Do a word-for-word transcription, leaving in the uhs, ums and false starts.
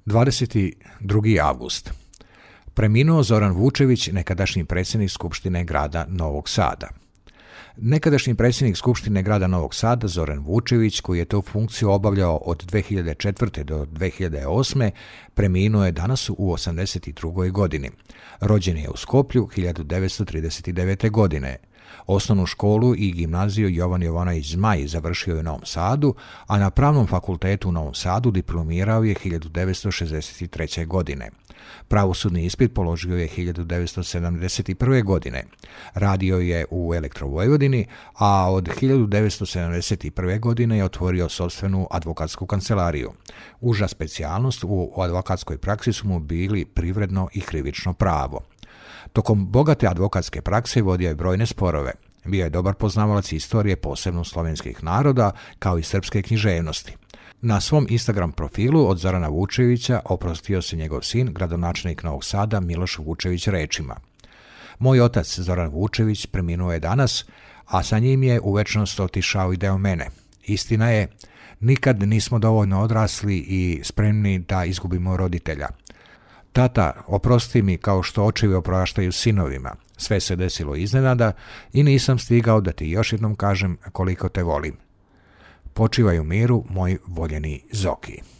dvadeset drugi avgust. Preminuo Zoran Vučević, nekadašnji predsjednik Skupštine grada Novog Sada. Nekadašnji predsjednik Skupštine grada Novog Sada, Zoran Vučević, koji je tu funkciju obavljao od dve hiljade četvrte do dve hiljade osme, preminuo je danas u osamdeset drugoj godini. Rođen je u Skoplju hiljadu devetsto trideset devete. godine. Osnovnu školu i gimnaziju Jovan Jovanović Zmaj završio je u Novom Sadu, a na Pravnom fakultetu u Novom Sadu diplomirao je hiljadu devetsto šezdeset treće. godine. Pravosudni ispit položio je hiljadu devetsto sedamdeset prve. godine. Radio je u Elektrovojvodini, a od hiljadu devetsto sedamdeset prve. godine je otvorio sopstvenu advokatsku kancelariju. Uža specijalnost u advokatskoj praksi su mu bili privredno i krivično pravo. Tokom bogate advokatske prakse vodio je brojne sporove. Bio je dobar poznavalac istorije, posebno slovenskih naroda, kao i srpske književnosti. Na svom Instagram profilu od Zorana Vučevića oprostio se njegov sin, gradonačelnik Novog Sada, Miloš Vučević rečima: "Moj otac Zoran Vučević preminuo je danas, a sa njim je u večnost otišao i deo mene. Istina je, nikad nismo dovoljno odrasli i spremni da izgubimo roditelja. Tata, oprosti mi kao što očevi opraštaju sinovima. Sve se desilo iznenada i nisam stigao da ti još jednom kažem koliko te volim. Počivaj u miru, moj voljeni Zoki."